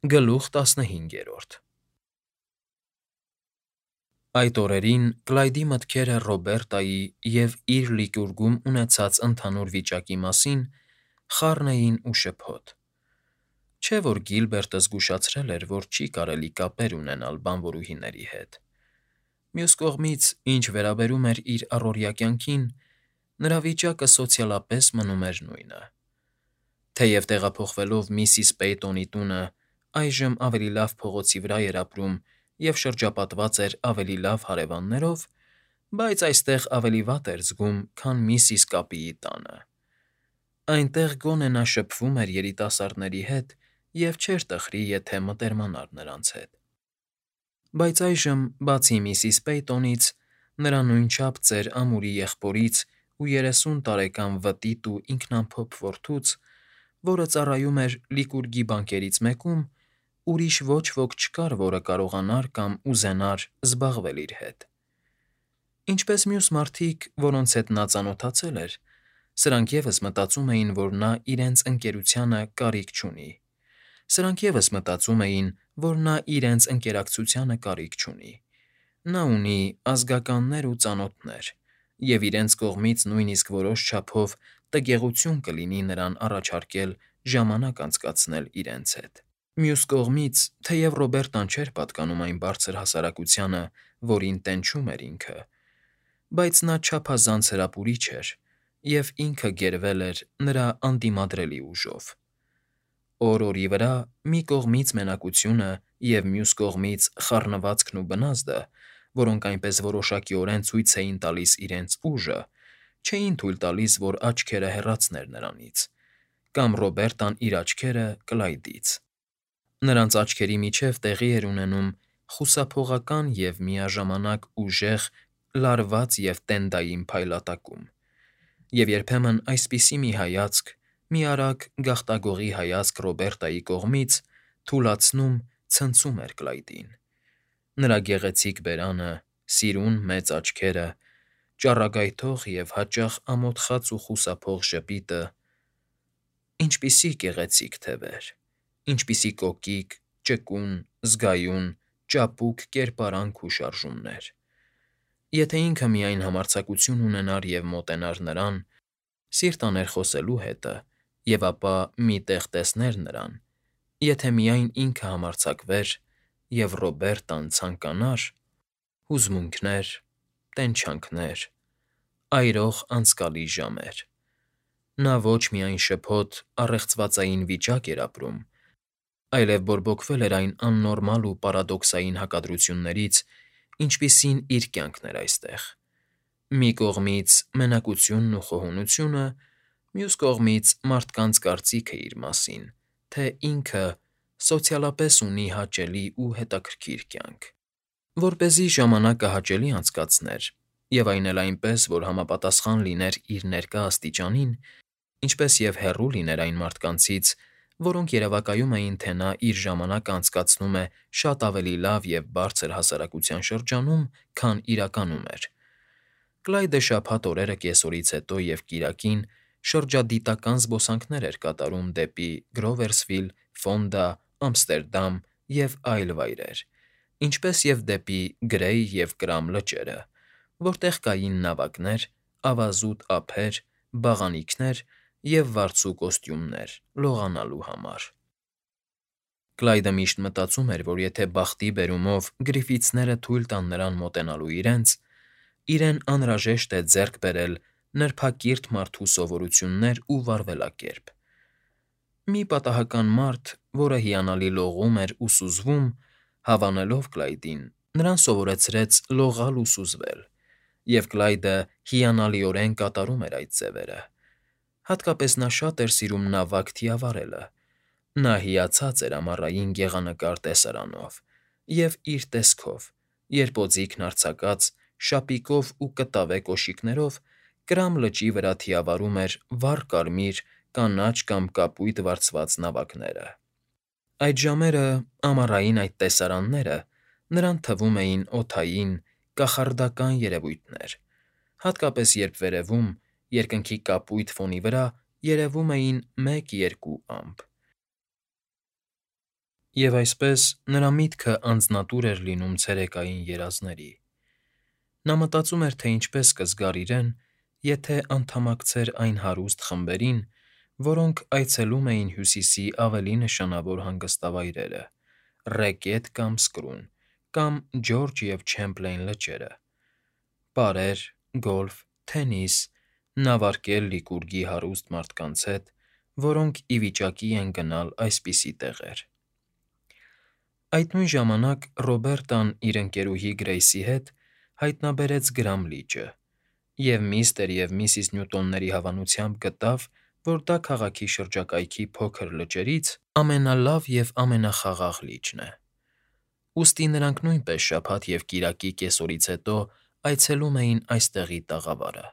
Գլուխ 15 Այդ օրերին Կլայդի մտքերը Ռոբերտայի և իր լիճուրգում ունեցած ընդհանուր վիճակի մասին խառն էին ու շփոթ. չէ՞ որ Գիլբերտը զգուշացրել էր, որ չի կարելի կապեր ունենալ բանվորուհիների հետ. մյուս կողմից, ինչ վերաբերում էր իր առօրյա կյանքին, նրա վիճակը սոցիալապես մնում էր նույնը. թեև տեղափոխվելով միսիս Պեյտոնի տունը այժմ ավելի լավ փողոցի վրա էր ապրում և շրջապատված էր ավելի լավ հարևաններով, բայց այստեղ ավելի վատ էր զգում, քան միսիս Կապիի տանը. այնտեղ գոնե նա շփվում էր երիտասարդների հետ և չէր տխրի, եթե մտերմանար նրանց հետ։ Բայց այժմ, բացի միսիս Պեյտոնից, նրա նույնչափ ծեր ամուրի եղբորից ու 30 տարեկան վտիտ ու ինքնամփոփ որդուց, որը ծառայում էր Լիկուրգի բանկերից մեկում, ուրիշ ոչ ոք չկար, որը կարողանար կամ ուզենար զբաղվել իր հետ։ Ինչպես մյուս մարդիկ, որոնց հետ նա ծանոթացել էր, սրանք ևս մտածում էին, որ նա իրենց ընկերությանը կարիք չունի, սրանք ևս մտածում էին, որ նա իրենց ընկերակցությանը կարիք չունի, նա ունի ազգականներ ու ծանոթներ, և իրենց կողմից նույնիսկ որոշ չափով տգեղություն կլինի նրան առաջարկել ժամանակ անցկացնել իրենց հետ։ Մյուս կողմից, թեև Ռոբերտան չէր պատկանում այն բարձր հասարակությանը, որին տենչում էր ինքը, բայց նա չափազանց հրապուրիչ էր և ինքը գերվել էր նրա անդիմադրելի ուժով։ Օր֊օրի վրա մի կողմից մենակությունը և մյուս կողմից խառնվածքն ու բնազդը, որոնք այնպես որոշակիորեն ցույց էին տալիս իրենց ուժը, չէին թույլ տալիս, որ աչքերը հեռացներ նրանից, կամ Ռոբերտան իր աչքերը՝ Կլայդից։ Նրանց աչքերի միջև տեղի էր ունենում խուսափողական և միաժամանակ ուժեղ, լարված և տենդային փայլատակում, և երբեմն այսպիսի մի հայացք, մի արագ գաղտագողի հայացք Ռոբերտայի կողմից թուլացնում, ցնցում էր Կլայդին։ Նրա գեղեցիկ բերանը, սիրուն մեծ աչքերը, ճառագայթող և հաճախ ամոթխած ու խուսափող ժպիտը… Ինչպիսի գեղեցիկ թևեր, ինչպիսի կոկիկ, ճկուն, զգայուն, ճապուկ կերպարանք ու շարժումներ… Եթե ինքը միայն համարձակություն ունենար և մոտենար նրան, սիրտ աներ խոսելու հետը, և ապա մի տեղ տեսներ նրան, եթե միայն ինքը համարձակվեր, և Ռոբերտան ցանկանար… Հուզմունքներ, տենչանքներ, այրող անցկալի ժամեր… Նա ոչ միայն շփոթ, առեղծվածային վիճակ էր ապրում, այլև բորբոքվել էր այն աննորմալ ու պարադոքսային հակադրություններից, ինչպիսին իր կյանքն էր այստեղ. մի կողմից մենակությունն ու խոհունությունը, մյուս կողմից մարդկանց կարծիքը իր մասին, թե ինքը սոցիալապես ունի հաճելի ու հետաքրքիր կյանք։ Որպեսզի ժամանակը հաճելի անցկացներ, և այն էլ այնպես, որ համապատասխան լիներ իր ներկա աստիճանին, ինչպես և հեռու լիներ այն մարդկանցից, որոնք երևակայում էին, թե նա իր ժամանակը անցկացնում է շատ ավելի լավ և բարձր հասարակության շրջանում, քան իրականում էր, Կլայդը շաբաթ օրերը կեսօրից հետո և կիրակին շրջադիտական զբոսանքներ էր կատարում դեպի Գրովերսվիլ, Ֆոնդա, Ամստերդամ և այլ վայրեր, ինչպես և դեպի Գրեյ և Կրամ լճերը, որտեղ կային նավակներ, ավազուտ ափեր, բաղանիքներ և վարձու կոստյումներ՝ լողալու համար։ Կլայդը միշտ մտածում էր, որ եթե բախտի բերումով Գրիֆիթսները թույլ տան նրան մոտենալու իրենց, իրեն անհրաժեշտ է ձեռք բերել նրբակիրթ մարդու սովորություններ ու վարվելակերպ։ Մի պատահական մարդ, որը հիանալի լողում էր ու սուզվում, հավանելով Կլայդին, նրան սովորեցրեց լողալ ու սուզվել, և Կլայդը հիանալիորեն կատարում էր այդ ձևերը։ Հատկապես նա շատ էր սիրում նավակ թիավարելը։ Նա հիացած էր ամառային գեղանկար տեսարանով և իր տեսքով, երբ օձիքն արձակած, շապիկով ու կտավե կոշիկներով Կրամ լճի վրա թիավարում էր վառ կարմիր, կանաչ կամ կապույտ վարձված նավակները։ Այդ ժամերը, ամառային այդ տեսարանները նրան թվում էին օդային, կախարդական երևույթներ, հատկապես երբ վերևում, երկնքի կապույտ ֆոնի վրա երևում էին մեկ֊երկու ամպ։ Եվ այսպես նրա միտքը անձնատուր էր լինում ցերեկային երազների։ Նա մտածում էր, թե ինչպես կզգար իրեն, եթե անդամակցեր այն հարուստ խմբերին, որոնք այցելում էին Հյուսիսի ավելի նշանավոր հանգստավայրերը՝ Ռեկետ կամ Սկրուն, կամ Ջորջը և Չեմպլեյն լճերը, պարեր, գոլֆ, թենիս, նավարկել Լիկուրգի հարուստ մարդկանց հետ, որոնք ի վիճակի են գնալ այսպիսի տեղեր։ Այդ նույն ժամանակ Ռոբերտան իր ընկերուհի Գրեյսի հետ հայտնաբերեց Գրամլիճը և միստր և միսիս Նյուտոնների հավանությամբ գտավ, որ դա քաղաքի շրջակայքի փոքր լճերից ամենալավ և ամենախաղաղ լիճն է։ Ուստի նրանք նույնպես շաբաթ և կիրակի կեսօրից հետո այցելում էին այստեղի տաղավարը։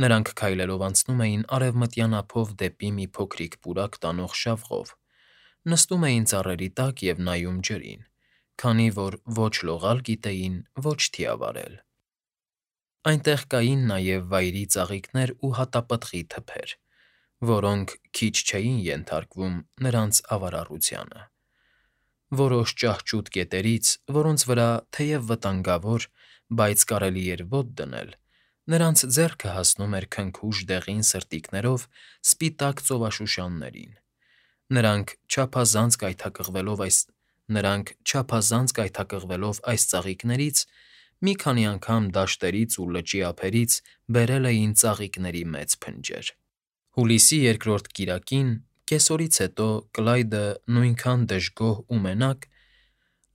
Նրանք քայլելով անցնում էին արևմտյան ափով դեպի մի փոքրիկ պուրակ տանող շավղով, նստում էին ծառերի տակ և նայում ջրին, քանի որ ոչ լողալ գիտեին, ոչ թիավարել։ Այնտեղ կային նաև վայրի ծաղիկներ ու հատապտղի թփեր, որոնք քիչ չէին ենթարկվում նրանց ավարառությանը։ Որոշ ճահճուտ կետերից, որոնց վրա, թեև վտանգավոր, բայց կարելի էր ոտք դնել, նրանց ձեռքը հասնում էր քնքուշ դեղին սրտիկներով սպիտակ ծովաշուշաններին։ Նրանք գայթակղվելով այս ծաղիկներից, մի քանի անգամ դաշտերից ու լճի ափերից բերել էին ծաղիկների մեծ փնջեր։ Հուլիսի 2-րդ կիրակին, կեսօրից հետո Կլայդը նույնքան դժգոհ ու մենակ,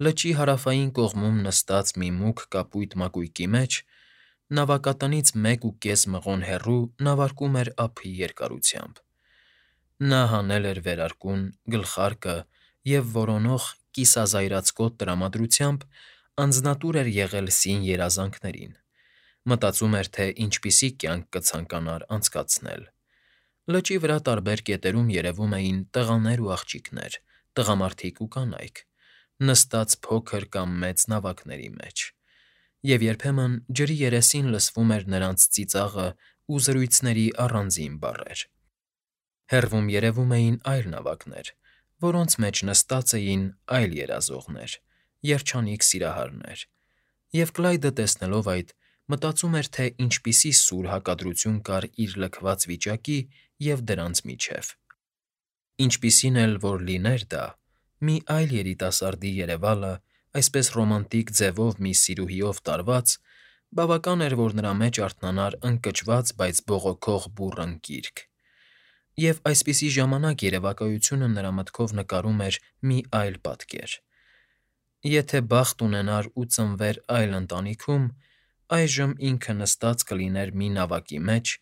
լճի հարավային կողմում նստած մի մուգ կապույտ մակույկի մեջ, նավակատնից 1.5 մղոն հեռու նավարկում էր ափի երկարությամբ։ Նա հանել էր վերարկուն, գլխարկը և որոնող կիսազայրացկոտ տրամադրությամբ անձնատուր էր եղել սին երազանքներին, մտածում էր, թե ինչպիսի կյանք կցանկանար անցկացնել։ Լճի վրա տարբեր կետերում երևում էին տղաներ ու աղջիկներ, տղամարդիկ ու կանայք, նստած փոքր կամ մեծ նավակների մեջ, և երբեմն ջրի երեսին լսվում էր նրանց ծիծաղը ու զրույցների առանձին բառեր։ Հեռվում երևում էին այլ նավակներ, որոնց մեջ նստած էին այլ երազողներ, երջանիկ սիրահարներ, և Կլայդը, տեսնելով այդ, մտածում էր, թե ինչպիսի սուր հակադրություն կար իր լքված վիճակի և դրանց միջև։ Ինչպիսին էլ որ լիներ դա, մի այլ երիտասարդի երևալը, այսպես ռոմանտիկ ձևով մի սիրուհիով տարված, բավական էր, որ նրա մեջ արթնանար ընկճված, բայց բողոքող բուռն կիրք։ Եվ այսպիսի ժամանակ երևակայությունը նրա մտքով նկարում էր մի այլ պատկեր. եթե բախտ ունենար ու ծնվեր այլ ընտանիքում, այժմ ինքը նստած կլիներ մի նավակի մեջ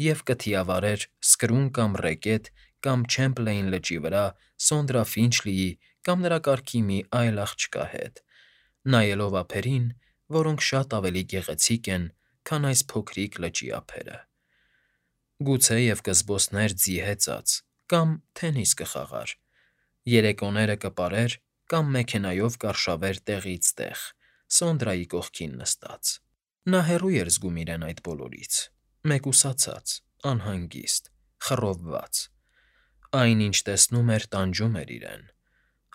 և կթիավարեր Սկրուն կամ Ռեկետ կամ Չեմպլեյն լճի վրա Սոնդրա Ֆինչլիի կամ նրա կարգի մի այլ աղջկա հետ, նայելով ափերին, որոնք շատ ավելի գեղեցիկ են, քան այս փոքրիկ լճի ափերը։ Գուցեև կզբոսներ ձի հեծած, կամ թենիս կխաղար, երեկոները կպարեր կամ մեքենայով կարշավեր տեղից տեղ, Սոնդրայի կողքին նստած։ Նա հեռու էր զգում իրեն այդ բոլորից, մեկուսացած, անհանգիստ, խռովված։ Այն, ինչ տեսնում էր, տանջում էր իրեն։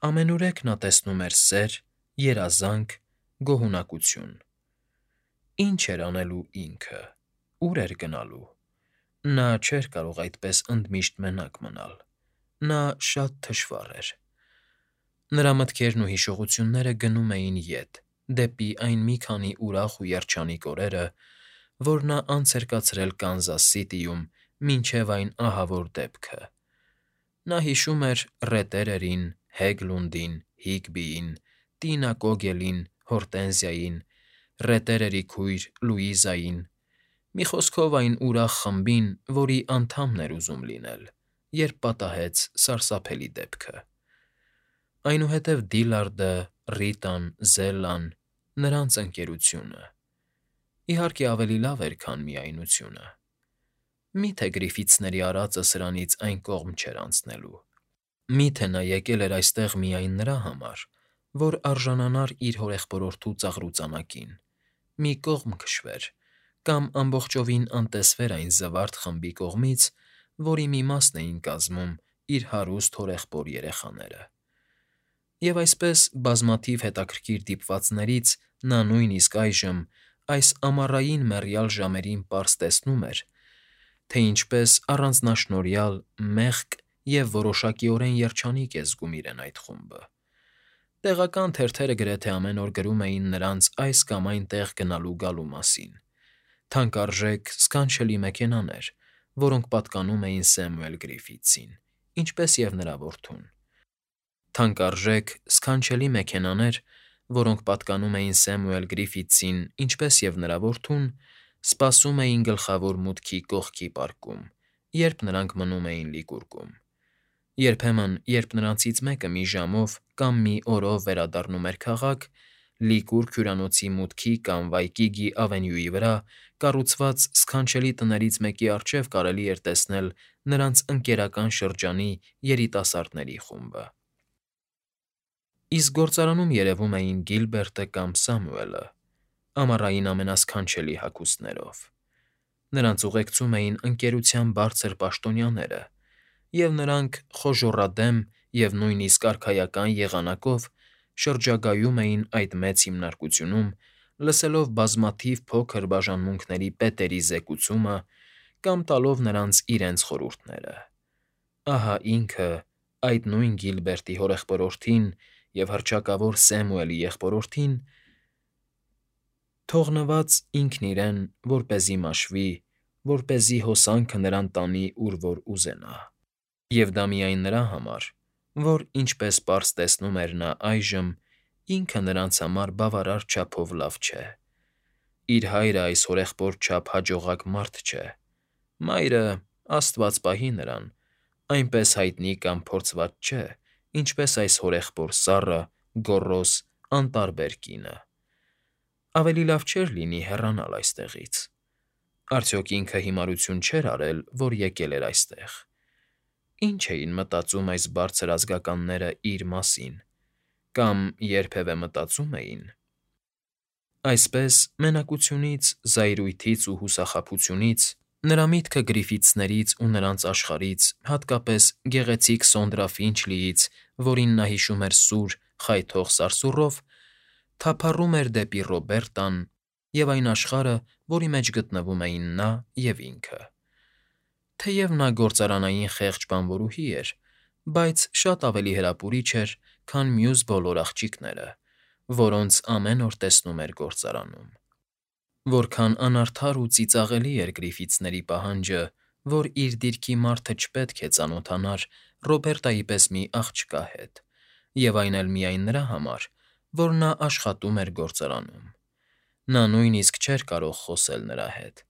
Ամենուրեք նա տեսնում էր սեր, երազանք, գոհունակություն։ Ինչ էր անելու ինքը, ուր էր գնալու։ Նա չէր կարող այդպես ընդմիշտ մենակ մնալ։ Նա շատ թշվառ էր։ Նրա մտքերն ու հիշողությունները գնում էին ետ, դեպի այն մի քանի ուրախ ու երջանիկ օրերը, որ նա անց էր կացրել Կանզաս Սիթիում մինչև այն ահավոր դեպքը։ Նա հիշում էր Ռետերերին, Հեգլունդին, Հիգբիին, Տինա Կոգելին, Հորտենզիային, Ռետերերի քույր Լուիզային, մի խոսքով այն ուրախ խմբին, որի անդամն էր ուզում լինել, երբ պատահեց սարսափելի դեպքը։ Այնուհետև Դիլարդը, Ռիտան, Զելլան, նրանց ընկերությունը… Իհարկե, ավելի լավ էր, քան միայնությունը։ Մի՞թե Գրիֆիթսների արածը սրանից այն կողմ չէր անցնելու։ Մի՞թե նա եկել էր այստեղ միայն նրա համար, որ արժանանար իր հորեղբորորդու ծաղրուծանակին, մի կողմ քշվեր, կամ ամբողջովին անտեսվեր այն զվարթ խմբի կողմից, որի մի մասն էին կազմում իր հարուստ հորեղբոր երեխաները։ Եվ այսպես բազմաթիվ հետաքրքիր դիպվածներից նա նույնիսկ այժմ, այս ամառային մեռյալ ժամերին պարզ տեսնում էր, թե ինչպես առանձնաշնորհյալ, մեղք և որոշակիորեն երջանիկ է զգում իրեն այդ խումբը։ Տեղական թերթերը գրեթե ամեն օր գրում էին նրանց այս կամ այն տեղ գնալու գալու մասին. թանկարժեք, սքանչելի մեքենաներ, որոնք պատկանում էին Սեմուել Գրիֆիթսին, ինչպես և նրա որդուն։ Թանկարժեք, սքանչելի մեքենաներ, որոնք պատկանում էին Սեմուել Գրիֆիթսին, ինչպես և նրա որդուն, սպասում էին գլխավոր մուտքի կողքի պարկում, երբ նրանք մնում էին Լիկուրգում։ Երբեմն, երբ նրանցից մեկը մի ժամով կամ մի օրով վերադառնում էր քաղաք, Լիկուրգ հյուրանոցի մուտքի կամ Վայկիգի ավենյուի վրա կառուցված սքանչելի տներից մեկի առջև կարելի էր տեսնել նրանց ընկերական շրջանի երիտասարդների խումբը։ Իսկ գործարանում երևում էին Գիլբերտը կամ Սամուելը, ամառային ամենասքանչելի հագուստներով։ Նրանց ուղեկցում էին ընկերության բարձր պաշտոնյաները, և նրանք խոժոռադեմ և նույնիսկ արքայական եղանակով շրջագայում էին այդ մեծ հիմնարկությունում, լսելով բազմաթիվ փոքր բաժանմունքների պետերի զեկուցումը կամ տալով նրանց իրենց խորհուրդները։ Ահա ինքը, այդ նույն Գիլբերտի հորեղբորորդին և հռչակավոր Սեմուելի եղբորորդին, թողնված ինքն իրեն, որպեսզի մաշվի, որպեսզի հոսանքը նրան տանի, ուր որ ուզենա։ Եվ դա միայն նրա համար, որ, ինչպես պարզ տեսնում էր նա այժմ, ինքը նրանց համար բավարար չափով լավ չէ։ Իր հայրը այս հորեղբոր չափ հաջողակ մարդ չէ։ Մայրը, աստված պահի նրան, այնպես հայտնի կամ փորձված չէ, ինչպես այս հորեղբոր սառը, գոռոզ, անտարբեր կինը։ Ավելի լավ չէր լինի հեռանալ այստեղից։ Արդյոք ինքը հիմարություն չէր արել, որ եկել էր այստեղ։ Ինչ էին մտածում այս բարձր ազգականները իր մասին, կամ երբևէ մտածում էին։ Այսպես, մենակությունից, զայրույթից ու հուսախաբությունից նրա միտքը Գրիֆիթսներից ու նրանց աշխարհից, հատկապես գեղեցիկ Սոնդրա Ֆինչլիից, որին նա հիշում էր սուր, խայթող սարսուռով, թափառում էր դեպի Ռոբերտան և այն աշխարհը, որի մեջ գտնվում էին նա և ինքը։ Թեև նա գործարանային խեղճ բանվորուհի էր, բայց շատ ավելի հրապուրիչ էր, քան մյուս բոլոր աղջիկները, որոնց ամեն օր տեսնում էր գործարանում։ Որքան անարդար ու ծիծաղելի էր Գրիֆիթսների պահանջը, որ իր դիրքի մարդը չպետք է ծանոթանար Ռոբերտայի պես մի աղջկա հետ, և այն էլ միայն նրա համար, որ նա աշխատում էր գործարանում։ Նա նույնիսկ չէր կարող խոսել նրա հետ,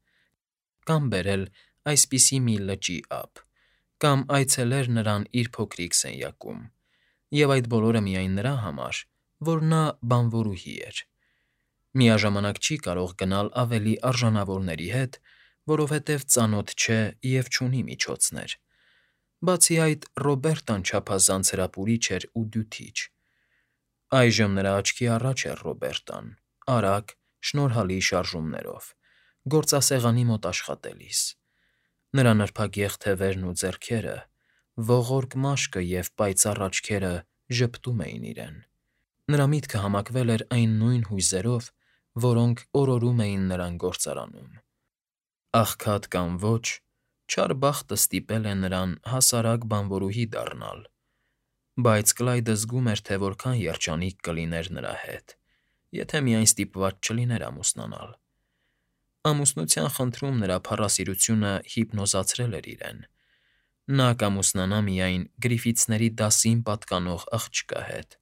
կամ բերել այսպիսի մի լճի ափ, կամ այցելեր նրան իր փոքրիկ սենյակում, և այդ բոլորը միայն նրա համար, որ նա բանվորուհի էր։ Միաժամանակ չի կարող գնալ ավելի արժանավորների հետ, որովհետև ծանոթ չէ և չունի միջոցներ։ Բացի այդ, Ռոբերտան չափազանց հրապուրիչ էր ու դյութիչ։ Այժմ նրա աչքի առաջ էր Ռոբերտան, արագ, շնորհալի շարժումներով, գործասեղանի մոտ աշխատելիս։ Նրա նրբագեղ թևերն ու ձեռքերը, ողորկ մաշկը և պայծառ աչքերը ժպտում էին իրեն։ Նրա միտքը համակվել էր այն նույն հույզերով, որոնք օրորում էին նրան գործարանում։ Աղքատ կամ ոչ, չար բախտը ստիպել է նրան հասարակ բանվորուհի դառնալ, բայց Կլայդը զգում էր, թե որքան երջանիկ կլիներ նրա հետ, եթե միայն ստիպված չլիներ ամուսնանալ։ Ամուսնության խնդրում նրա փառասիրությունը հիպնոզացրել էր իրեն։ Նա կամուսնանա միայն Գրիֆիթսների դասին պատկանող աղջկա հետ։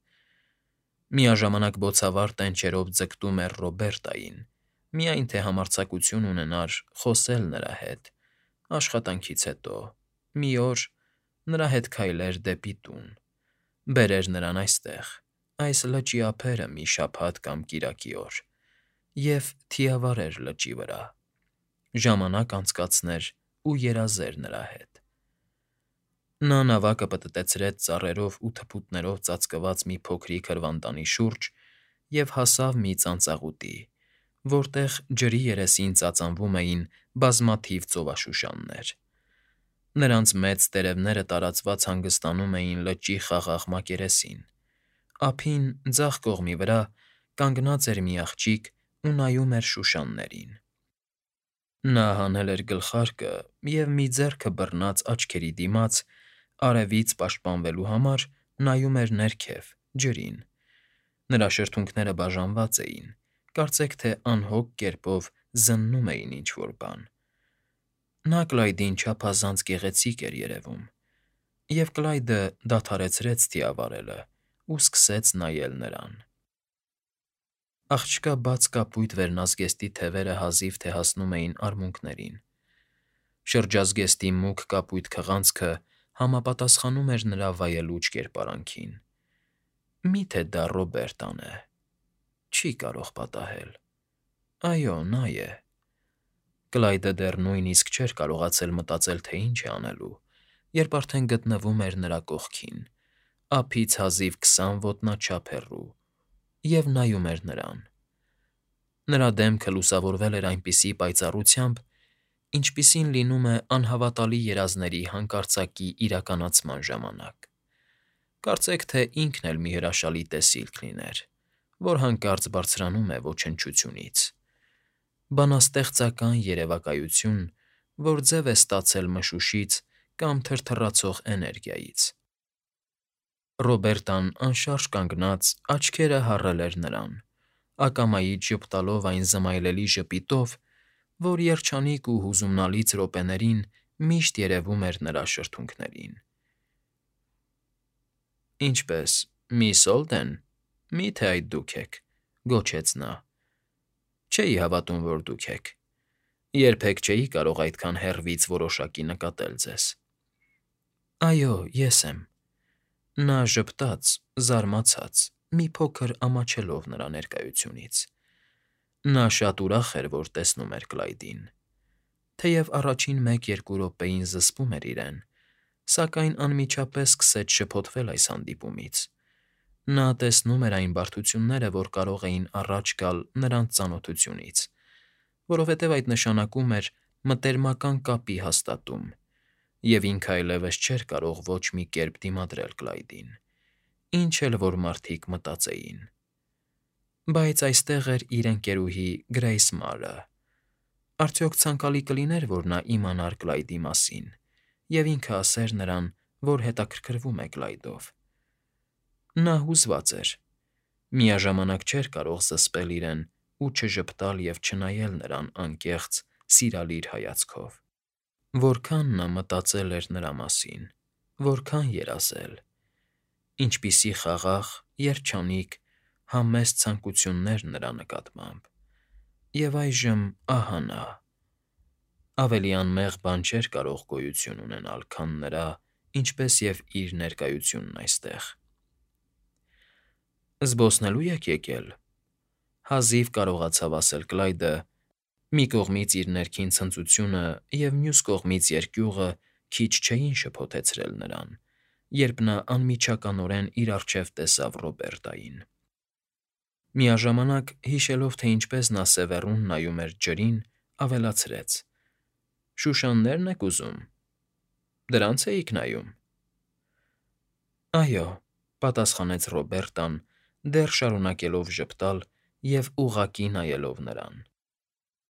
Միաժամանակ բոցավառ տենչերով ձգտում էր Ռոբերտային, միայն թե համարձակություն ունենար խոսել նրա հետ, աշխատանքից հետո, մի օր, նրա հետ քայլեր դեպի տուն, բերեր նրան այստեղ, այս լճի ափերը մի շաբաթ կամ կիրակի օր, և թիավարեր լճի վրա, ժամանակ անցկացներ ու երազեր նրա հետ։ Նա նավակը պտտեցրեց ծառերով ու թփուտներով ծածկված մի փոքրիկ հրվանդանի շուրջ և հասավ մի ծանծաղուտի, որտեղ ջրի երեսին ծածանվում էին բազմաթիվ ծովաշուշաններ։ Նրանց մեծ տերևները տարածված հանգստանում էին լճի խաղաղ մակերեսին, Ափին ձախ կողմի վրա կանգնած էր մի աղջիկ ու նայում էր շուշաններին։ Նա հանել էր գլխարկը և մի ձեռքը բռնած աչքերի դիմաց, արևից պաշտպանվելու համար նայում էր ներքև, ջրին։ Նրա շրթունքները բաժանված էին, կարծեք թե անհոգ կերպով զննում էին ինչ֊որ բան։ Նա Կլայդին չափազանց գեղեցիկ էր երևում, և Կլայդը դադարեցրեց թիավարելն ու սկսեց նայել նրան։ Աղջկա բաց կապույտ վերնազգեստի թևերը հազիվ թե հասնում էին արմունկներին։ Շրջազգեստի մուգ կապույտ քղանցքը համապատասխանում էր նրա վայելուչ կերպարանքին։ Մի՞թե դա Ռոբերտան է։ Չի կարող պատահել։ Այո, նա է։ Կլայդը դեռ նույնիսկ չէր կարողացել մտածել, թե ինչ է անելու, երբ արդեն գտնվում էր նրա կողքին, ափից հազիվ 20 ոտնաչափ հեռու, և նայում էր նրան։ Նրա դեմքը լուսավորվել էր այնպիսի պայծառությամբ, ինչպիսին լինում է անհավատալի երազների հանկարծակի իրականացման ժամանակ։ Կարծեք թե ինքն էլ մի հրաշալի տեսիլք լիներ, որ հանկարծ բարձրանում է ոչնչությունից։ Բանաստեղծական երևակայություն, որ ձև է ստացել մշուշից կամ թրթռացող էներգիայից։ Ռոբերտան անշարժ կանգնած աչքերը հառել էր նրան, ակամայից ժպտալով այն զմայլելի ժպիտով, որ երջանիկ ու հուզումնալից րոպեներին միշտ երևում էր նրա շրթունքներին։ «Ինչպե՞ս, միս Օլդեն, մի՞թե այդ դուք եք,֊ գոչեց նա։ Չէի հավատում, որ դուք եք։ Երբեք չէի կարող այդքան հեռվից որոշակի նկատել ձեզ»։ Այո, ես եմ։ Նա ժպտաց, զարմացած, մի փոքր ամաչելով նրա ներկայությունից։ Նա շատ ուրախ էր, որ տեսնում էր Կլայդին։ Թեև առաջին 1-2 րոպեին զսպում էր իրեն, սակայն անմիջապես սկսեց շփոթվել այս հանդիպումից։ Նա տեսնում էր այն բարդությունները, որ կարող էին առաջ գալ նրանց ծանոթությունից, որովհետև այդ նշանակում էր մտերմական կապի հաստատում, և ինքը այլևս չէր կարող ոչ մի կերպ դիմադրել Կլայդին, ինչ էլ որ մարդիկ մտածեին։ Բայց այստեղ էր իր ընկերուհի Գրեյս Մարը։ Արդյոք ցանկալի կլիներ, որ նա իմանար Կլայդի մասին, և ինքը ասեր նրան, որ հետաքրքրվում է Կլայդով։ Նա հուզված էր, միաժամանակ չէր կարող զսպել իրեն ու չժպտալ և չնայել նրան անկեղծ, սիրալիր հայացքով։ Որքան նա մտածել էր նրա մասին, որքան երազել։ Ինչպիսի խաղաղ, երջանիկ, համեստ ցանկություններ նրա նկատմամբ։ Եվ այժմ ահա նա… Ավելի անմեղ բան չէր կարող գոյություն ունենալ, քան նրա, ինչպես և իր ներկայությունն այստեղ։ «Զբոսնելո՞ւ եք եկել,֊ հազիվ կարողացավ ասել Կլայդը, մի կողմից իր ներքին ցնծությունը և մյուս կողմից երկյուղը քիչ չէին շփոթեցրել նրան, երբ նա անմիջականորեն իր առջև տեսավ Ռոբերտային։ Միաժամանակ, հիշելով, թե ինչպես նա սևեռուն նայում էր ջրին, ավելացրեց. «Շուշաննե՞րն եք ուզում։ Դրանց էիք նայում»։ «Այո,֊ պատասխանեց Ռոբերտան, դեռ շարունակելով ժպտալ և ուղղակի նայելով նրան։